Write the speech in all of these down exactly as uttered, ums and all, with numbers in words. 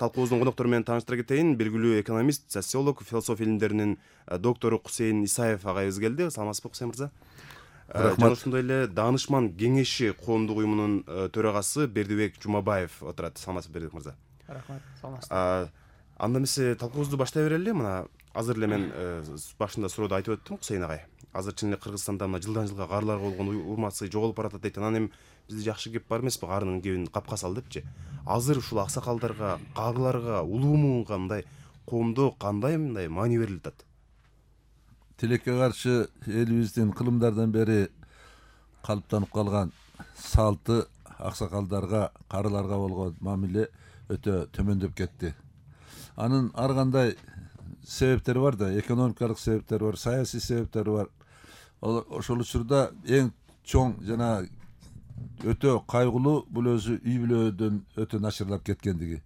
талкуубуздун коноктору менен тааныштыра кетейин. Белгилүү экономист, социолог, философия илимдеринин доктору Кусейин Исаев агайыбыз келди. Саламатсызбы, Кусейин мырза? Жана ошондой эле Даанышман кеңеши коомдук уюмунун төрагасы Бердибек Жумабаев отурат. Саламатсызбы, Бердибек мырза? Рахмат, саламатсызбы. Анда эмесе талкуубузду баштай берели. Мына азыр эле мен башында суроодо айтып өттүм, Кусейин агай. Азыр чын эле Кыргызстанда мына жылдан жылга карларга болгон урматсыздык жоголуп баратат дейт. Анан эми бизде жакшы кеп бар эмеспи, карынын кебин капка сал депчи. Азыр ушул аксакалдарга, карларга, улуу муунга мындай коомдо кандай мындай маани берилип атат? Тилекке каршы элибиздин кылымдардан бери калыптанып калган салты аксакалдарга, карыларга болгон мамиле өтө төмөндөп кетти. Анын ар кандай себептери бар да, экономикалык себептери бар, саясий себептери бар. Ошол учурда эң чоң жана өтө кайгылуу бул өзү үй бүлөдөн өтө начарлап кеткендиги.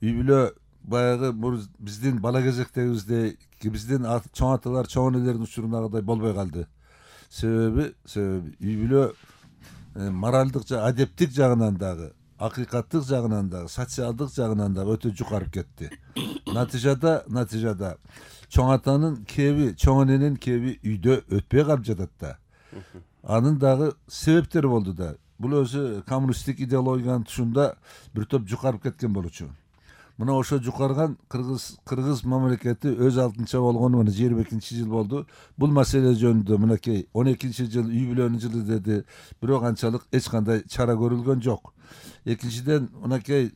Үй бүлө баягы биздин бала кезектегибиздей, биздин чоң аталар, чоң энелердин учурундагыдай болбой калды. Себеби, себеби үй бүлө моралдык жа, адептик жагынан дагы, акыйкаттык жагынан дагы, социалдык жагынан дагы өтө жукарып кетти. Натыйжада, натыйжада чоң атанын кеби, чоң эненин кеби үйдө өтпөй калып жатат да. Анын дагы себептери болду да. Бул өзү коммунисттик идеологиянын тушунда бир топ жукарып кеткен болчу. Мына ошо жукарган кыргыз кыргыз мамлекети өз алдынча болгону мына жыйырма экинчи жыл болду. Бул маселе жөнүндө мынакей он экинчи жыл үй бүлөнүн жылы деди. Бирок анчалык эч кандай чара көрүлгөн жок. Экинчиден мынакей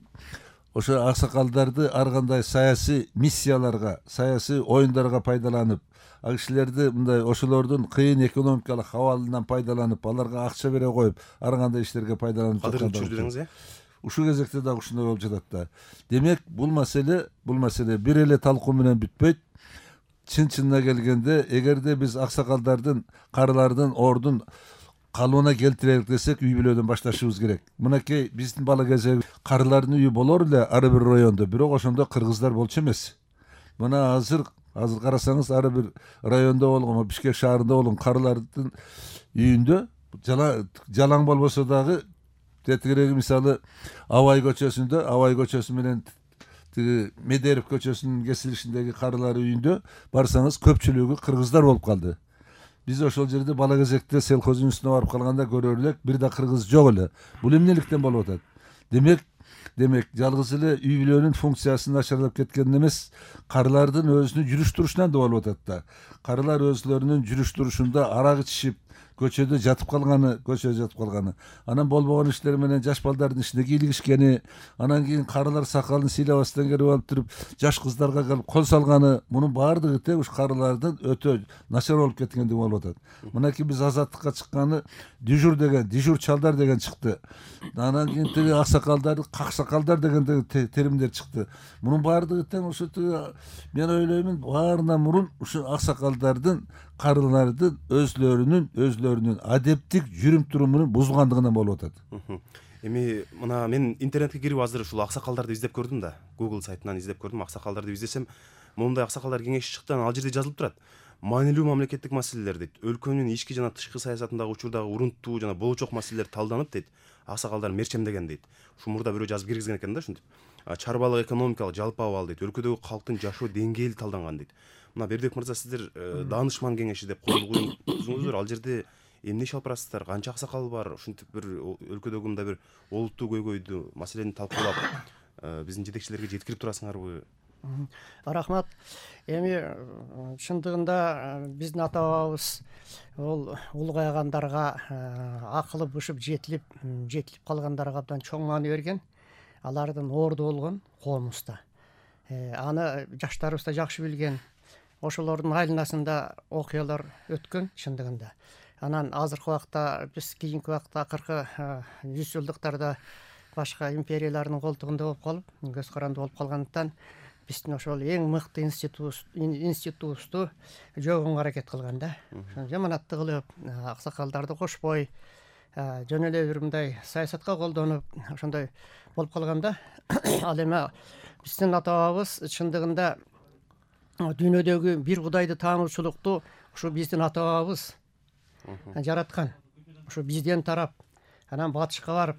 ошо аксакалдарды ар кандай саясий миссияларга, саясий оюндарга пайдаланып, ал кишилерди мындай ошолордун кыйын экономикалык абалынан пайдаланып, аларга акча бере коюп, ар кандай иштерге пайдаланып жаткан. Ушул кезекте дагы ушундай болуп жатат да. Демек, бул маселе, бул маселе бир эле талкуу менен бүтпөйт. Чын-чынына келгенде, эгерде биз аксакалдардын, карылардын ордун калыбына келтирелик десек, үй бүлөдөн башташыбыз керек. Мынакей биздин бала кезек карылардын үйү болор эле ар бир райондо, бирок ошондо кыргыздар болчу эмес. Мына азыр азыр карасаңыз ар бир райондо болгон, Бишкек шаарында болгон карылардын үйүндө жалаң болбосо дагы тетигиреги мисалы Абай көчөсүндө, Абай көчөсү менен тиги Медерев көчөсүнүн кесилишиндеги карылар үйүндө барсаңыз көпчүлүгү кыргыздар болуп калды. Биз ошол жерде бала кезекте селхоздун үстүнө барып калганда көрөр элек, бир да кыргыз жок эле. Бул эмнеликтен болуп атат? Демек, демек жалгыз эле үй бүлөнүн функциясы начарлап кеткен эмес, карылардын өзүнүн жүрүш турушунан да болуп атат да. Карылар өзлөрүнүн жүрүш турушунда арак ичишип, көчөдө жатып калганы, көчөдө жатып калганы. Анан болбогон иштер менен жаш балдардын ишине кийлигишкени, анан кийин карылар сакалын сыйлабастан келип алып туруп, жаш кыздарга келип кол салганы, мунун баардыгы тең уш карылардын өтө начар болуп кеткендиги болуп атат. Мынакей биз азаттыкка чыкканы дежур деген, дежур чалдар деген чыкты. Анан кийин тиги аксакалдарды каксакалдар деген теримдер чыкты. Мунун баардыгы тең ушу мен ойлоймун, баарынан мурун ушу аксакалдардын, карылардын өзлөрүнүн өзлөрүнүн адептик жүрүм турумунун бузулгандыгынан болуп атат. Эми мына мен интернетке кирип азыр ушул аксакалдарды издеп көрдүм да. Google сайтынан издеп көрдүм, аксакалдарды издесем, мондай аксакалдар кеңеши чыкты, ал жерде жазылып турат. Маанилүү мамлекеттик маселелер дейт. Өлкөнүн ички жана тышкы саясатындагы учурдагы урунттуу жана болочок маселелер талданып дейт. Аксакалдар мерчемдеген дейт. Ушу мурда бирөө жазып киргизген экен да ушинтип. Чарбалык экономикалык жалпы абал дейт. Өлкөдөгү калктын жашоо деңгээли талданган дейт. Мына Бердибек мырза, сиздер Даанышман кеңеши деп коюлгуңуздар, ал жерде эмне иш алып барасыздар? Канча аксакал бар? Ушинтип бир өлкөдөгү мындай бир олуттуу көйгөйдү, маселени талкуулап, биздин жетекчилерге жеткирип турасыңарбы? Рахмат. Эми чындыгында биздин ата бабабыз ол улгайгандарга, акылы бышып жетилип, жетилип калгандарга абдан чоң маани берген. Алардын орду болгон коомубузда. Аны жаштарыбыз да жакшы билген. Ошолордун айланасында окуялар өткөн чындыгында. Анан азыркы убакта биз кийинки убакта акыркы жүз жылдыктарда башка империялардын колтугунда болуп калып, көз каранды болуп калгандыктан биздин ошол эң мыкты институтубузду жогонго аракет кылган да. Жаманатты кылып, аксакалдарды кошпой, жөн эле бир мындай саясатка колдонуп, ошондой болуп калганда, ал эми биздин ата бабабыз чындыгында дүйнөдөгү бир Кудайды таануучулукту ушу биздин ата бабабыз жараткан. Ушу бизден тарап, анан батышка барып,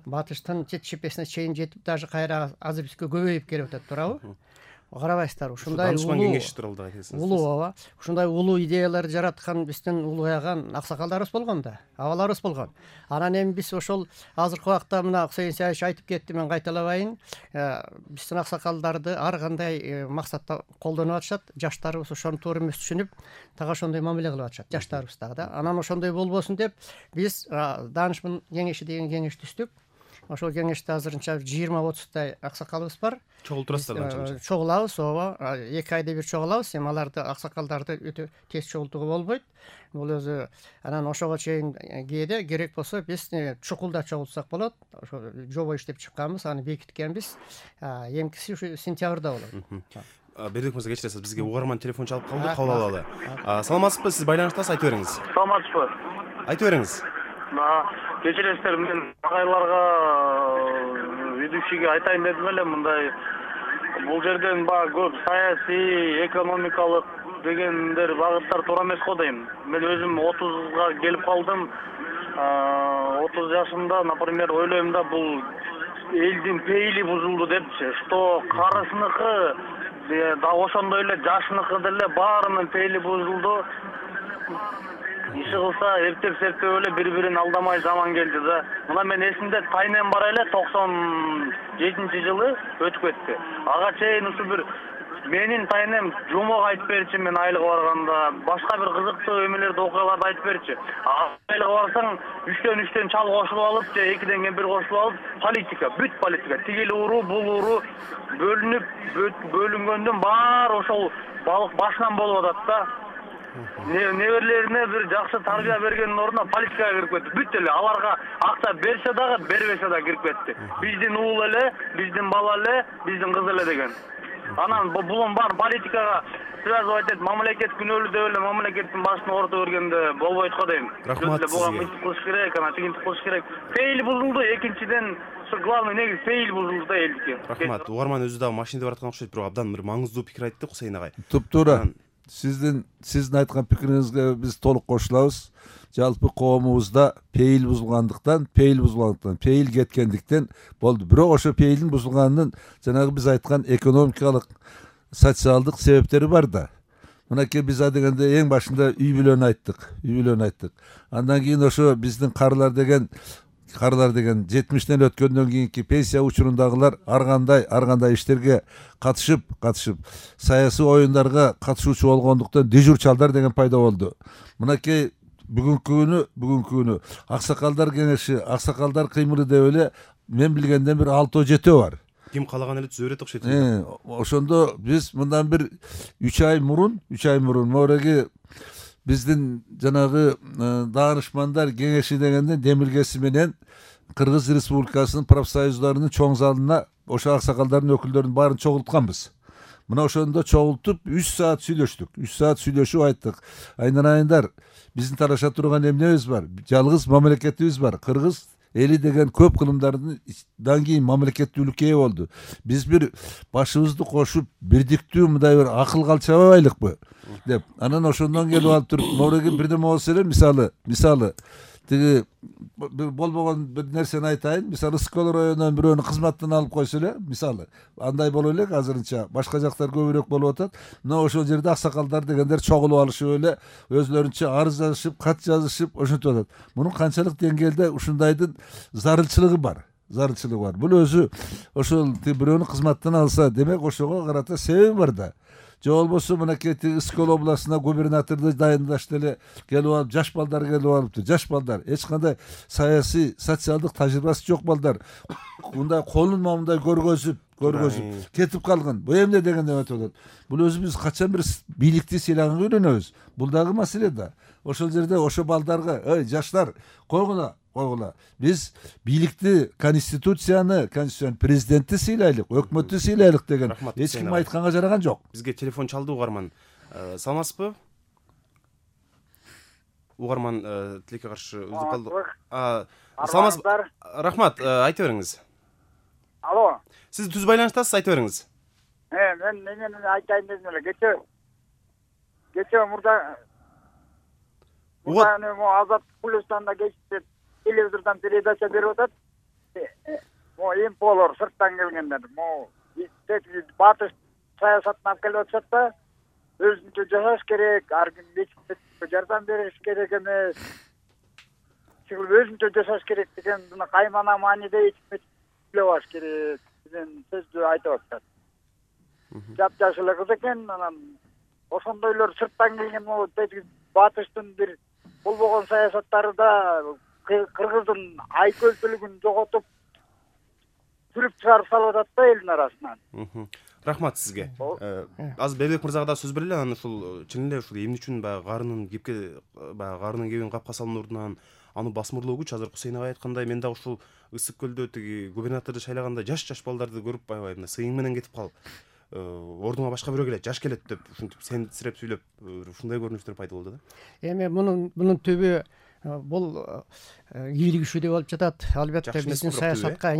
батыштын чет чепесине чейин жетип даже кайра азыр бизге көбөйүп келип атат туурабы? Карабайсыздарбы? Ушундай Данышман улуу кеңеши тууралуу айтасыңыз. улуу ооба. Ушундай улуу идеяларды жараткан биздин улуяган аксакалдарыбыз болгон да, абаларыбыз болгон. Анан эми биз ошол азыркы убакта мына Кусейин Саевич айтып кетти, мен кайталабайын. Биздин аксакалдарды ар кандай максатта колдонуп атышат. Жаштарыбыз ошону туура эмес түшүнүп, так ошондой мамиле кылып атышат, жаштарыбыз дагы да. Анан ошондой болбосун деп биз Данышман кеңеши деген кеңеш түздүк. Ошол кеңеште азырынча жыйырма отуздай аксакалыбыз бар. Чогултурасыздар канча? Чогулабыз, ооба. эки айда бир чогулабыз. Эми аларды аксакалдарды өтө тез чогултууга болбойт. Бул өзү анан ошого чейин кээде керек болсо биз чукулда чогултсак болот. Ошо жобо иштеп чыкканбыз, аны бекиткенбиз. Эмкиси ушу сентябрда болот. Бердик мырза, кечиресиз, бизге угарман телефон чалып калды, кабыл алалы. Саламатсызбы? Сиз байланыштасыз, айтып бериңиз. Саламатсызбы? Айтып бериңиз. Кечиресиздер, мен агайларга, ведущийге айтайын дедим эле, мындай бул жерден баягы көп саясий, экономикалык дегендер багыттар туура эмес го дейм. Мен өзүм отузга келип калдым. отуз жашымда, например, ойлойм да, бул элдин пейили бузулду депчи, что карысыныкы да ошондой эле жашыныкы деле баарынын пейили бузулду. Иши кылса эптеп-септеп эле бири-бирин алдамай заман келди да. Мына мен эсимде тайнем бар эле токсон жетинчи жылы өтүп кетти. Ага чейин ушу бир менин тайнем жумок айтып берчи, мен айлык барганда, башка бир кызыктуу эмелерди, окуяларды айтып берчи. Айлык барсаң үчтөн үчтөн чал кошулуп алып же экиден кемпир кошулуп алып, политика, бүт политика, тигил уру, бул уру бөлүнүп, бөлүнгөндөн баары ошол балык башынан болуп атат да. Неберлерине бир жакшы тарбия бергендин ордуна политикага кирип кетти. Бүт эле аларга акча берсе дагы, бербесе дагы кирип кетти. Биздин уул эле, биздин бала эле, биздин кыз эле деген. Анан булун бар политикага связывать этип, мамлекет күнөөлүү деп эле мамлекеттин башына орото бергенде болбойт го дейм. Рахмат сизге. Буга мынтип кылыш керек, анан тигинтип кылыш керек. Пейил бузулду, экинчиден главный негиз пейил бузулду да элдики. Рахмат. Угарман өзү дагы машинеде бараткан окшойт, бирок абдан бир маңыздуу пикир айтты Кусейин агай. Туп-туура. Сиздин сиздин айткан пикириңизге биз толук кошулабыз. Жалпы коомубузда пейил бузулгандыктан, пейил бузулгандыктан, пейил кеткендиктен болду. Бирок ошо пейилдин бузулганынын жанагы биз айткан экономикалык, социалдык себептери бар да. Мынакей биз дегенде эң башында үй бүлөнү айттык, үй бүлөнү айттык. Андан кийин ошо биздин карылар деген Карылар деген жетимиштен өткөндөн кийинки пенсия учурундагылар ар кандай ар кандай иштерге катышып, катышып, саясий оюндарга катышуучу болгондуктан дежурчалдар деген пайда болду. Мынакей бүгүнкү күнү, бүгүнкү күнү аксакалдар кеңеши, аксакалдар кыймылы деп эле мен билгенден бир алты жетөө бар. Ким калаган эле түзө берет окшойт. Ошондо биз мындан бир үч ай мурун, үч ай мурун мореги биздин жанагы Данышмандар кеңеши дегенде демилгеси менен Кыргыз Республикасынын профсоюздарынын чоң залына ошо аксакалдардын өкүлдөрүн баарын чогултканбыз. Мына ошондо чогултуп үч саат сүйлөштүк. үч саат сүйлөшүп айттык. Айнарайындар, биздин тараша турган эмнебиз бар? Жалгыз мамлекетибиз бар. Кыргыз эли деген көп кылымдардан кийин мамлекеттүүлүккө ээ болду. Биз бир башыбызды кошуп, бирдиктүү мындай бир акыл калчабайлыкпы деп. Анан ошондон келип алып туруп, мореги бирдеме болсо эле, мисалы, мисалы тиги болбогон бир нерсени айтайын. Мисалы, Скол районунан бирөөнү кызматтан алып койсо эле, мисалы, андай боло элек азырынча, башка жактар көбүрөөк болуп атат. Но ошол жерде аксакалдар дегендер чогулуп алышып эле өзлөрүнчө арыз жазышып, кат жазышып ошентип атат. Мунун канчалык деңгээлде ушундайдын зарылчылыгы бар. Зарылчылыгы бар. Бул өзү ошол бирөөнү кызматтан алса, демек ошого карата себеби бар да. Же болбосо мынакей Скол областына губернаторду дайындашты эле келип алып, жаш балдар келип алыптыр. Жаш балдар эч кандай саясий, социалдык тажрыйбасы жок балдар. Мындай колун мындай көргөзүп, көргөзүп кетип калган. Бу эмне дегенде өтүп атат. Бул өзү биз качан бир бийликти сыйлаганга үйрөнөбүз. Бул дагы маселе да. Ошол жерде ошо балдарга, эй, жаштар, койгула, койгула. Биз бийликти, конституцияны, конституцияны, президентти сыйлайлык, өкмөттү сыйлайлык деген эч ким айтканга жараган жок. Бизге телефон чалды угарман. Саламатсызбы? Угарман тилекке каршы үзүп калды. Саламатсызбы? Рахмат, айта бериңиз. Алло. Сиз түз байланыштасыз, айта бериңиз. Э, мен менен айтайын дедим эле. Кече кече мурда Мурда Азат Плюстанда кечте телевизордон передача берип атат. могу имполор сырттан келгендер могу батыш саясатын алып келип атышат да, өзүнчө жашаш керек, ар ким жардам бериш керек эмес, өзүнчө жашаш керек деген мына каймана мааниде эчмейлебаш керек деген сөздү айтып атышат. Жапжаш эле кыз экен, анан ошондойлор сырттан келген могу батыштын бир болбогон саясаттары да кыргыздын айкөлтүүлүгүн жоготуп сүрүп чыгарып салып атат да элдин арасынан. Рахмат сизге. Азыр Бердибек мырзага да сөз берели, анан ушул чын эле ушул эмне үчүн баягы карынын кепке баягы карынын кебин капка салуунун ордуна аны басмырлоо күч, азыр Кусейн агай айткандай, мен дагы ушул Ысык көлдө тиги губернаторду шайлаганда жаш жаш балдарды көрүп аябай мына сыйың менен кетип кал, ордуңа башка бирөө келет, жаш келет деп ушинтип сенсиреп сүйлөп, ушундай көрүнүштөр пайда болду да. Эми мунун мунун түбү бул ийгилик ишүү деп болуп жатат. Албетте биздин саясатка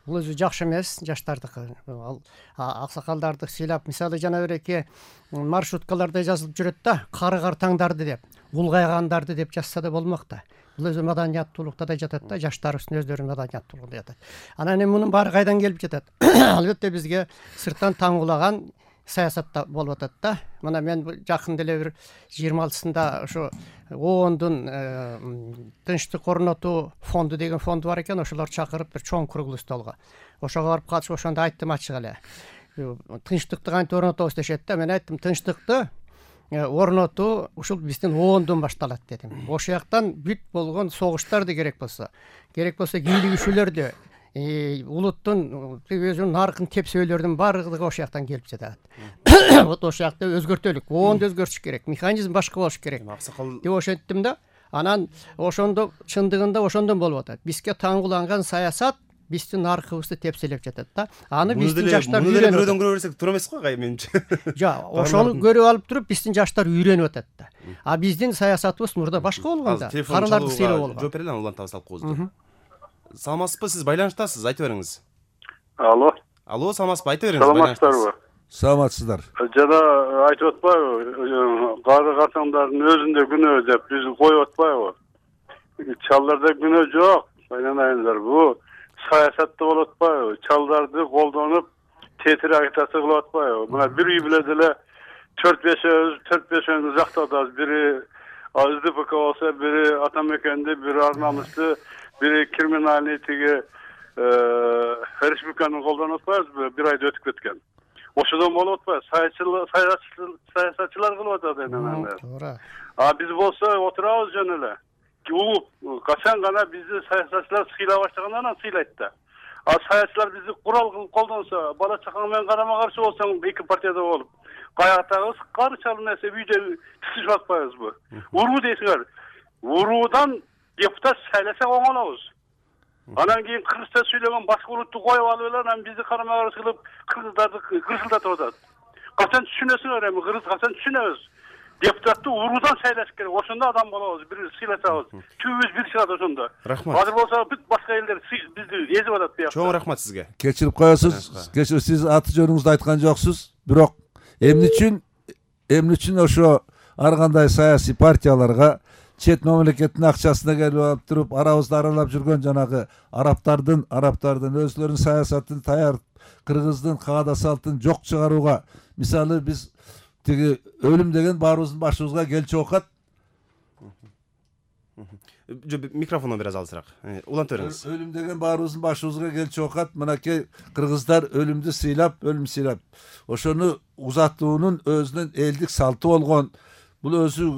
бул өзү жакшы эмес, жаштардыкы. Ал аксакалдарды сыйлап, мисалы жана береки маршруткаларда жазылып жүрөт да, карыгар таңдарды деп, улгайгандарды деп жазса да болмок да. Бул өзү маданияттуулукта да жатат да, жаштарыбыздын өздөрүнүн маданияттуулугунда жатат. Анан эми мунун баары кайдан келип жатат? Албетте бизге сырттан таңуулаган саясатта болуп атат да. Мына мен жакын деле бир жыйырма алтысында ошо оондун тынчтык орнотуу фонду деген фонду бар экен, ошолор чакырып бир чоң круглый столго. Ошого барып катышып ошондо айттым ачык эле. Тынчтыкты кантип орнотобуз дешет да. Мен айттым, тынчтыкты орнотуу ушул биздин оондон башталат дедим. Ошол жактан бүт болгон согуштарды керек болсо, керек болсо ийгилик үшүүлөрдү, улуттун өзүнүн наркын тепсөөлөрдүн баардыгы ошол жактан келип жатат. Вот ошол жакта өзгөртөлүк, оонду өзгөртүш керек, механизм башка болуш керек деп ошенттим да. Анан ошондо чындыгында ошондон болуп атат. Бизге таңгууланган саясат биздин наркыбызды тепселеп жатат да. Аны биздин жаштар үйрөнүп, бирөөдөн көрө берсек туура эмес го кай менимче. Жа, ошону көрүп алып туруп биздин жаштар үйрөнүп атат да. А биздин саясатыбыз мурда башка болгон да. Карыларды сыйлоо болгон. Жооп берели, улантабы салып коебуз. Саламатсызбы, сиз байланыштасыз, айтып бериңиз. Алло. Алло, саламатсызбы, айтып бериңиз. Саламатсыздарбы? Саламатсыздар. Жана айтып атпайбы, кары картаңдардын өзүндө күнөө деп биз коюп атпайбы? Чалдарда күнөө жок, байланайыңдар. Бу саясатта болуп атпайбы? Чалдарды колдонуп, тетир агитация кылып атпайбы? Мына бир үй биле деле төрт бешөөбүз, төрт бешөөбүз жактадабыз. Бири СДПК болсо, бири Атамекенди, бири Арнамызды, бири криминальный тиги республиканы колдонуп атпайбызбы? Бир айда өтүп кеткен. Ошодон болуп атпайбы? Саясатчылар кылып атат эми. Туура. А биз болсо отурабыз жөн эле. Улуп качан гана бизди саясатчылар сыйлай баштагандан анан сыйлайт да. А саясатчылар бизди курал кылып колдонсо, бала чакаң менен карама каршы болсоң, эки партияда болуп, каяктагыбыз кары чалым нерсе үйдө тисишип атпайбызбы? Уруу дейсиңер. Уруудан депутат сайласак оңолобуз. Анан кийин кыргызча сүйлөгөн башка улутту коюп алып эле, анан бизди карама каршы кылып кыргыздарды кырсылдатып атат. Качан түшүнөсүңөр эми, кыргыз качан түшүнөбүз? Депутатты уруудан сайлаш керек. Ошондо адам болобуз, бир сыйласабыз. Түбүбүз бир чыгат ошондо. Рахмат. Азыр болсо бүт башка элдер бизди эзип атат буякта. Чоң рахмат сизге. Кечирип коесуз. Кечирип, сиз аты жөнүңүздү айткан жоксуз. Бирок эмне үчүн эмне үчүн ошо ар кандай саясий партияларга чет мамлекеттин акчасына келип алып туруп, арабызды аралап жүргөн жанагы арабтардын арабтардын өзлөрүнүн саясатын таяр кыргыздын каада салтын жок чыгарууга, мисалы биз тиги өлүм деген баарыбыздын башыбызга келчү окат. Микрофону бир аз алысыраак. Уланта бериңиз. Өлүм деген баарыбыздын башыбызга келчү окат. Мынакей кыргыздар өлүмдү сыйлап, өлүм сыйлап, ошону узатуунун өзүнүн элдик салты болгон, бул өзү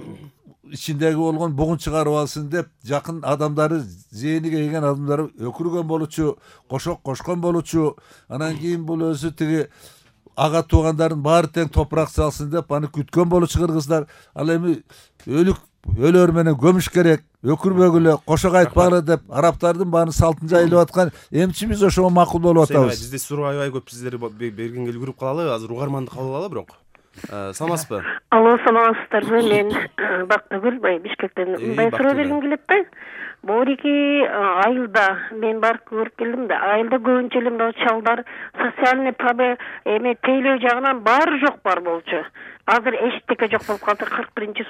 ичиндеги болгон бугун чыгарып алсын деп жакын адамдары, зээниге ийген адамдары өкүргөн болчу, кошок кошкон болчу. Анан кийин бул өзү тиги ага туугандардын баары тең топурак салсын деп аны күткөн болчу кыргыздар. Ал эми өлүк өлөр менен көмүш керек, өкүрбөгүлө, кошок айтпагыла деп арабтардын баарын салтын жайылып аткан. Эмчи биз ошого макул болуп атабыз? Бизде суроо аябай көп, сиздер бергенге үлгүрүп калалы, азыр угарманды кабыл алалы бирок. Саламатсызбы? Алло, саламатсыздарбы? Мен Бактыгүл, Бишкектен мындай суроо бергим келет да. Борики айылда мен барып көрүп келдим да. Айылда көбүнчө эле мына чалдар социальный проблема эме тейлөө жагынан баары жок бар болчу. Азыр эчтеке жок болуп калды. кырк биринчи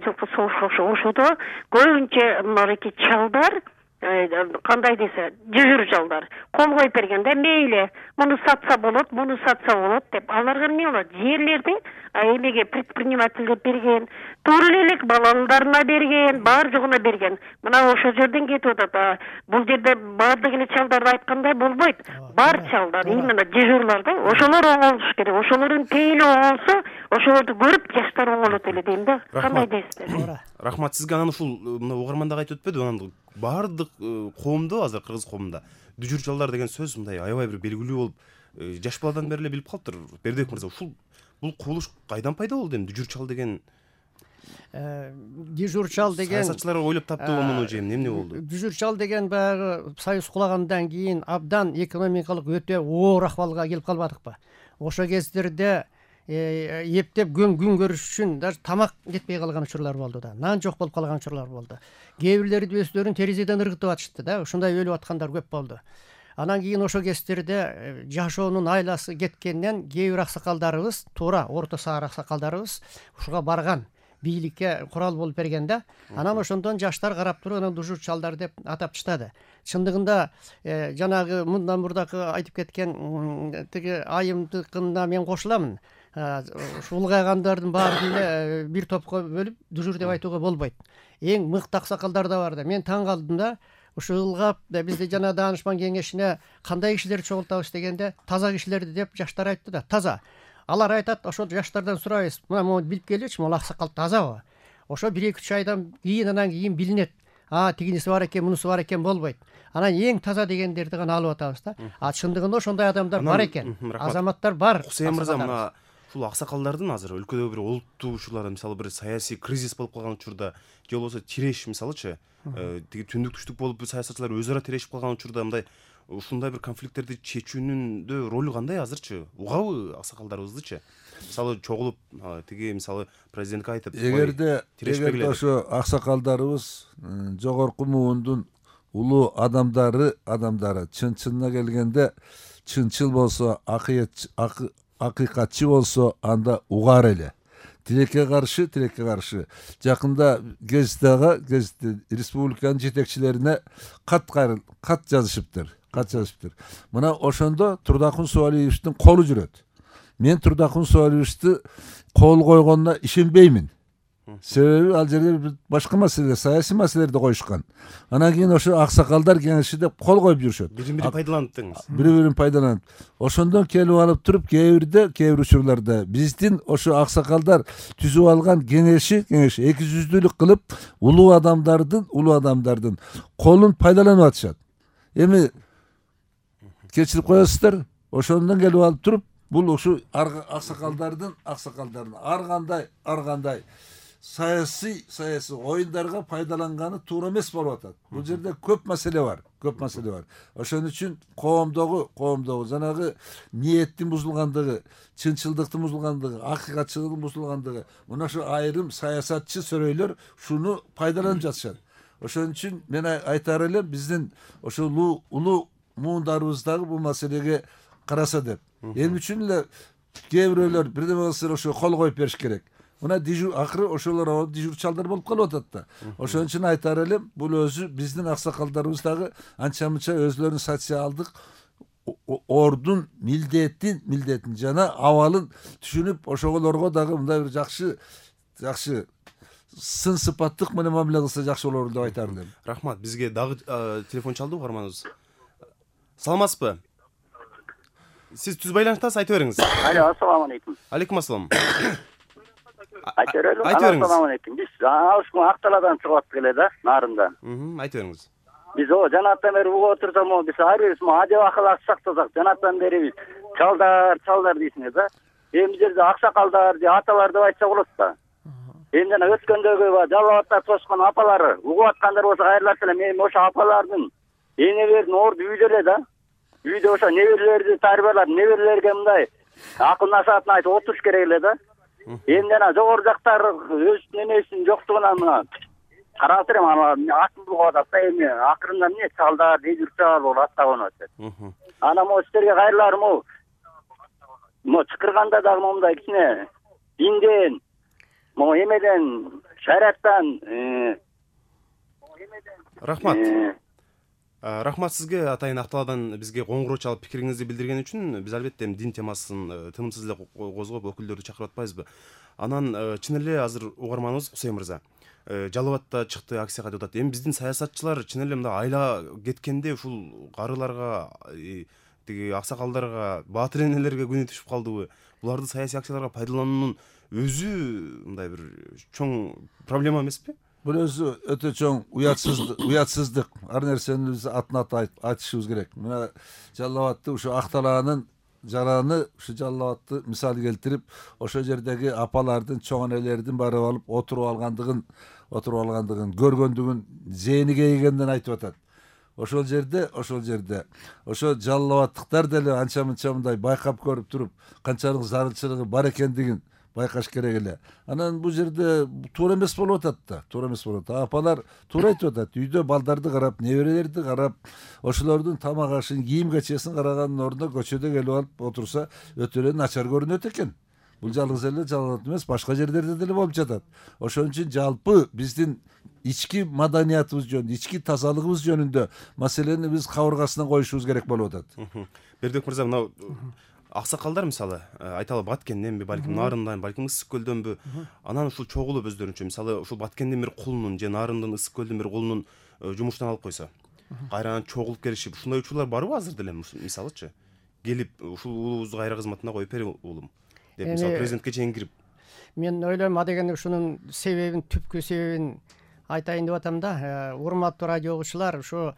жылкы согуш ошодо көбүнчө мынакей чалдар кандай десе жүзүр жалдар кол коюп бергенде мейли муну сатса болот, муну сатса болот деп аларга эмне болот? Жерлерди эмеге предпринимательдер берген, туура элек балаларына берген, бар жогуна берген. Мына ошол жерден кетип атат. Бул жерде баардык эле чалдарды айткандай болбойт. Бар чалдар, именно дежурларда ошолор оңолуш керек. Ошолордун пейили оңолсо, ошолорду көрүп жаштар оңолот эле дейм да. Кандай дейсиздер? Рахмат сизге. Анан ушул мына угарман дагы айтып өтпөдү, анан баардык коомдо азыр кыргыз коомунда дүжүр чалдар деген сөз мындай аябай бир белгилүү болуп, жаш баладан бери эле билип калыптыр. Бердибек мырза, ушул бул кубулуш кайдан пайда болду эми? Дүжүр чал деген дежур чал деген саясатчылар ойлоп таптыбы муну же эмне болду? Дүжүр чал деген баягы союз кулагандан кийин абдан экономикалык өтө оор акыбалга келип калбадыкпы? Ошол кездерде эптеп күн күн көрүш үчүн даже тамак жетпей калган учурлар болду да, нан жок болуп калган учурлар болду. Кээ бирлери өздөрүн терезеден ыргытып атышты да, ушундай өлүп аткандар көп болду. Анан кийин ошол кездерде жашоонун айласы кеткенден кээ бир аксакалдарыбыз, туура орто саар аксакалдарыбыз ушуга барган, бийликке курал болуп берген да. Анан ошондон жаштар карап туруп анан дүжүр чалдар деп атап чыктады. Чындыгында жанагы мындан мурдакы айтып кеткен тиги айымдыкына мен кошуламын. Ушу улгайгандардын баарын эле бир топко бөлүп дүжүр деп айтууга болбойт. Эң мыкты аксакалдар да бар да. Мен таң калдым да. Ушу ылгап бизде жана даанышман кеңешине кандай кишилерди чогултабыз дегенде, таза кишилерди деп жаштар айтты да. Таза. Алар айтат, ошол жаштардан сурайбыз. Мына мону билип келичи, могу аксакал тазабы? Ошо бир эки үч айдан кийин анан кийин билинет. А, тигиниси бар экен, мунусу бар экен болбойт. Анан эң таза дегендерди гана алып атабыз да. А чындыгында ошондой адамдар бар экен. Азаматтар бар. Хусейин мырза, мына ушул аксакалдардын азыр өлкөдө бир олуттуу учурлар, мисалы бир саясий кризис болуп калган учурда, же болбосо тиреш, мисалычы, тиги түндүк түштүк болуп саясатчылар өз ара тирешип калган учурда мындай ушундай бир конфликттерди чечүүнүндө ролу кандай азырчы? Угабы аксакалдарыбыздычы? Мисалы чогулуп, тиги мисалы президентке айтып, эгерде эгерде ошо аксакалдарыбыз жогорку муундун улуу адамдары, адамдары чын-чынына келгенде чынчыл болсо, акыйкатчы болсо, анда угар эле. Тилекке каршы, тилекке каршы. Жакында гезиттеге, гезитте республиканын жетекчилерине кат кат жазышыптыр. Кат жазышыптыр. Мына ошондо Турдакун Суалиевичтин колу жүрөт. Мен Турдакун Суалиевичти кол койгонуна ишенбеймин. Себеби ал жерде башка маселе, саясий маселелерди коюшкан. Анан кийин ошо аксакалдар кеңеши деп кол коюп жүрүшөт. Бири-бирин пайдаланып деңиз. Бири-бирин пайдаланып. Ошондон келип алып туруп, кээ бирде, кээ бир учурларда биздин ошо аксакалдар түзүп алган кеңеши, кеңеш эки жүздүүлүк кылып, улуу адамдардын, улуу адамдардын колун пайдаланып атышат. Эми кечирип коесуздар, ошондон келип алып туруп, бул ушу аксакалдардын, аксакалдардын ар кандай, ар кандай саясий саясий оюндарга пайдаланганы туура эмес болуп атат. Бул жерде көп маселе бар, көп маселе бар. Ошон үчүн коомдогу, коомдогу жанагы ниеттин бузулгандыгы, чынчылдыктын бузулгандыгы, акыйкатчылыктын бузулгандыгы, мына ошо айрым саясатчы сөрөйлөр шуну пайдаланып жатышат. Ошон үчүн мен айтар элем, биздин ошо улуу улуу муундарыбыз дагы бул маселеге караса деп. Эми үчүн эле кээ бирөөлөр бирдеме болсо ошо кол коюп бериш керек. Мына дежур акыры ошолор дежур чалдар болуп калып атат да. Ошон үчүн айтар элем, бул өзү биздин аксакалдарыбыз дагы анча-мынча өзлөрүнүн социалдык ордун милдетин, милдетин жана абалын түшүнүп, ошолорго дагы мындай бир жакшы, жакшы сын сыпаттык менен мамиле кылса жакшы болор деп айтар элем. Рахмат. Бизге дагы телефон чалды угарманыбыз. Саламатсызбы? Сиз түз байланыштасыз, айта бериңиз. Алло, ассаламу алейкум. Алейкум ассалам. Айта берели. Айта бериңиз. Ассаламу алейкум. Биз ушул Акталадан чыгып аттык эле да, нарында. Мм, айта бериңиз. Биз о жанаттан бери угуп отурсак, могу биз ар бирибиз адеп акылак сактасак, жанаттан бери биз чалдар, чалдар дейсиңер да. Эми жерде аксакалдар же аталар деп айтса болот да. Эми жана өткөндөгү жалал абадта тошкон апалары угуп аткандар болсо кайрылат элем. Эми ошо апалардын энелердин орду үйдө эле да. Үйдө ошо неберелерди тарбиялап, неберелерге мындай акыл насаатын айтып отуруш керек эле да. Эми жана жогору жактар өзүнүн энесинин жоктугунан мына карап турам, ана атын булгап атат да. Эми акырында эмне чалдар, дежур чал болуп аттаган атат. Анан могу силерге кайрыларым могу могу чакырганда дагы момундай кичине динден, могу эмеден, шариаттан Рахмат. Рахмат сизге атайын Акталаадан бизге коңгуроо чалып пикириңизди билдирген үчүн. Биз албетте эми дин темасын тынымсыз эле козгоп өкүлдөрдү чакырып атпайбызбы. Анан чын эле азыр угарманыбыз Кусей мырза Жалал Абадта чыкты, акцияга деп атат. Эми биздин саясатчылар чын эле мындай айла кеткенде ушул карыларга, тиги аксакалдарга, баатыр энелерге күнү түшүп калдыбы? Буларды саясий акцияларга пайдалануунун өзү мындай бир чоң проблема эмеспи? Бул өзү өтө чоң уятсыздык, уятсыздык. Ар нерсени биз атын аты айтышыбыз керек. Мына Жалал Абадты ушу Акталаанын жараны ушу Жалал Абадты мисал келтирип, ошол жердеги апалардын, чоң энелердин барып алып отуруп алгандыгын, отуруп алгандыгын, көргөндүгүн, зээниге ийгенден айтып атат. Ошол жерде, ошол жерде, ошо Жалал Абадтыктар деле анча мынча мындай байкап көрүп туруп, канчалык зарылчылыгы бар экендигин байкаш керек эле. Анан бул жерде туура эмес болуп атат да, туура эмес болуп атат. Апалар туура айтып атат. Үйдө балдарды карап, неберелерди карап, ошолордун тамак ашын, кийим кечесин караганын ордуна көчөдө келип алып отурса, өтө эле начар көрүнөт экен. Бул жалгыз эле Жалал Абад эмес, башка жерлерде деле болуп жатат. Ошон үчүн жалпы биздин ички маданиятыбыз жөнүндө, ички тазалыгыбыз жөнүндө маселени биз кабыргасына коюшубуз керек болуп атат. Бердибек мырза, мына аксакалдар мисалы айталы Баткенденби, балким Нарындан, балким Ысык көлдөнбү, анан ушул чогулуп өздөрүнчө мисалы ушул Баткендин бир кулунун же Нарындын, Ысык көлдүн бир кулунун жумуштан алып койсо, кайрадан чогулуп келишип, ушундай учурлар барбы азыр деле мисалычы? Келип ушул уулубузду кайра кызматына коюп бери уулум деп мисалы президентке чейин кирип. Мен ойлойм, адегенде ушунун себебин, түпкү себебин айтайын деп атам да. Урматтуу радио угуучулар, ушу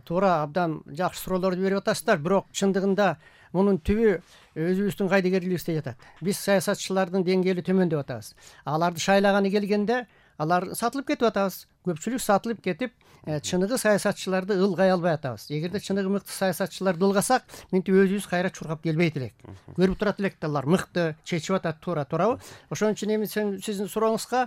туура абдан жакшы суроолорду берип атасыздар, бирок чындыгында мунун түбү өзүбүздүн кайдыгерлигибизде жатат. Биз саясатчылардын деңгээли төмөн деп атабыз. Аларды шайлаганы келгенде алар сатылып кетип атабыз. Көпчүлүк сатылып кетип, чыныгы саясатчыларды ылгай албай атабыз. Эгерде чыныгы мыкты саясатчыларды ылгасак, минтип өзүбүз кайра чуркап келбейт элек. Көрүп турат элек да, алар мыкты, чечип атат туура, туурабы? Ошон үчүн эми сиздин сурооңузга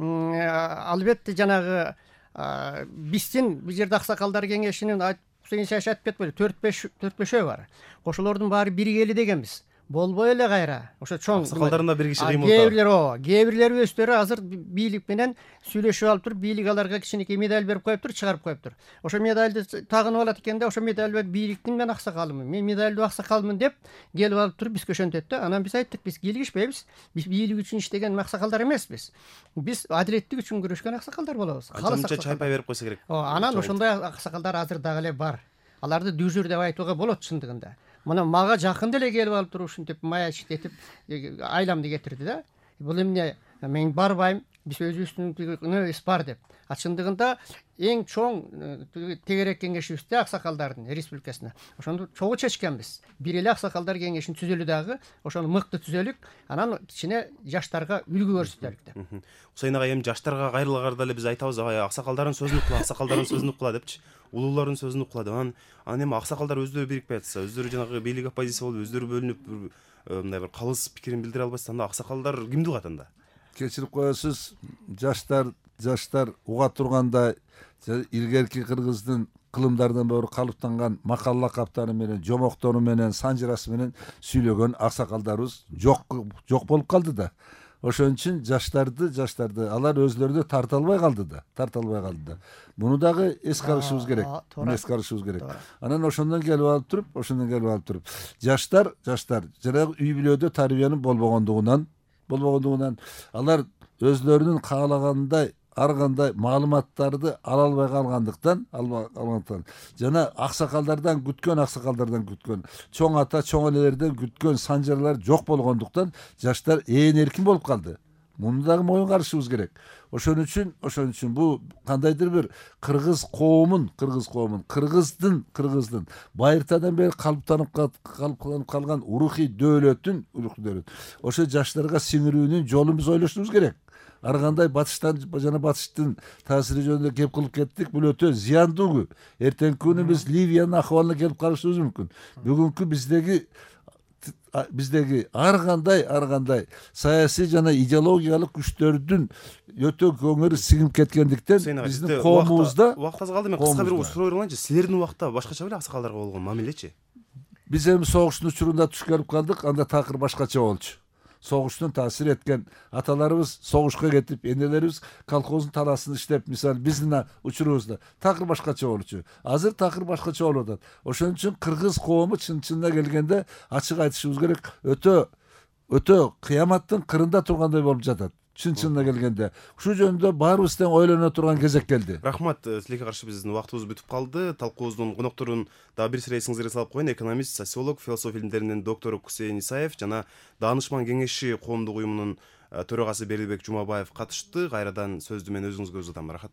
албетте жанагы биздин бул жерде аксакалдар кеңешинин айтып кетпейли, төрт беш төрт бешөө бар. Ошолордун баары биригели дегенбиз. Болбой эле кайра. Ошо чоң аксакалдарында бир киши кыймылдап. Кээ-бирлер ооба, кээ-бирлери өздөрү азыр бийлик менен сүйлөшүп алып туруп, бийлик аларга кичинекей медаль берип коюптур, чыгарып коюптур. Ошо медальды тагынып алат экен да, ошо медаль бийликтин мен аксакалымын, мен медальдуу аксакалмын деп келип алып туруп бизге ошентет да. Анан биз айттык, биз кийлигишпейбиз. Биз бийлик үчүн иштеген аксакалдар эмеспиз. Биз адилеттик үчүн күрөшкөн аксакалдар болобуз. Канча чайпай берип койсо керек. Ооба, анан ошондой аксакалдар азыр дагы эле бар. Аларды дүжүр деп айтууга болот чындыгында. Мына мага жакын деле келип алып туруп ушинтип маячить этип айламды кетирди да. Бул эмне? Мен барбайм, биз өзүбүздүн небиз бар деп. А чындыгында эң чоң тегерек кеңешибизде аксакалдардын республикасына. Ошону чогуу чечкенбиз. Бир эле аксакалдар кеңешин түзөлү дагы, ошону мыкты түзөлүк, анан кичине жаштарга үлгү көрсөтөлүк деп. Хусейн ага, эми жаштарга кайрылагарда эле биз айтабыз, аксакалдардын сөзүн укла, аксакалдардын сөзүн укла депчи. Улуулардын сөзүн укла деп. Анан анан эми аксакалдар өздөрү бирикпей атса, өздөрү жанагы бийлик оппозиция болуп, өздөрү бөлүнүп, мындай бир калыс пикирин билдире албайса, анда аксакалдар кимди угат анда? Кечирип коесуз, жаштар жаштар уга тургандай, илгерки кыргыздын кылымдардан бери калыптанган макал лакаптары менен, жомоктору менен, санжырасы менен сүйлөгөн аксакалдарыбыз жок жок болуп калды да. Ошон үчүн жаштарды, жаштарды алар өзлөрү да тарта албай калды да, тарта албай калды да. Муну дагы эске алышыбыз керек. Муну эске алышыбыз керек. Анан ошондон келип алып туруп, ошондон келип алып туруп, жаштар, жаштар жанагы үй бүлөдө тарбиянын болбогондугунан, болбогондугунан алар өзлөрүнүн каалагандай ар кандай маалыматтарды ала албай калгандыктан, албагандыктан жана аксакалдардан күткөн, аксакалдардан күткөн, чоң ата, чоң энелерден күткөн санжарлар жок болгондуктан жаштар ээн эркин болуп калды. Муну дагы моюнга алышыбыз керек. Ошон үчүн, ошон үчүн бул кандайдыр бир кыргыз коомун, кыргыз коомун, кыргыздын, кыргыздын байыртадан бери калыптанып калып калган урухий дөөлөтүн, урухий дөөлөт. Ошо жаштарга сиңирүүнүн жолун биз ойлошубуз керек. Ар кандай батыштан жана батыштын таасири жөнүндө кеп кылып кеттик, бул өтө зыяндуу. Эртеңки күнү биз Ливиянын акыбалына келип калышыбыз мүмкүн. Бүгүнкү биздеги биздеги ар кандай ар кандай саясий жана идеологиялык күчтөрдүн өтө көңүрү сиңип кеткендиктен биздин коомубузда убакыт аз калды. Мен кыска бир суроо берейинчи. Силердин убакта башкача беле аксакалдарга болгон мамилечи? Биз эми согуштун учурунда туш келип калдык, анда такыр башкача болчу. согуштун таасир эткен, аталарыбыз согушка кетип, энелерибиз колхоздун таласын иштеп, мисалы биздин учурубузда такыр башкача болчу. Азыр такыр башкача болуп атат. Ошон үчүн кыргыз коому чын-чынына келгенде ачык айтышыбыз керек, өтө өтө кыяматтын кырында тургандай болуп жатат. Чын-чынына келгенде ушул жөнүндө баарыбыз тең ойлоно турган кезек келди. Рахмат, тилекке каршы биздин убактыбыз бүтүп калды. Талкуубуздун конокторун дагы бир сыйра эсиңизге салып коеюн. Экономист, социолог, философия илимдеринин доктору Кусейин Исаев жана Даанышман кеңеши коомдук уюмунун төрагасы Берилбек Жумабаев катышты. Кайрадан сөздү мен өзүңүзгө узатам. Рахат.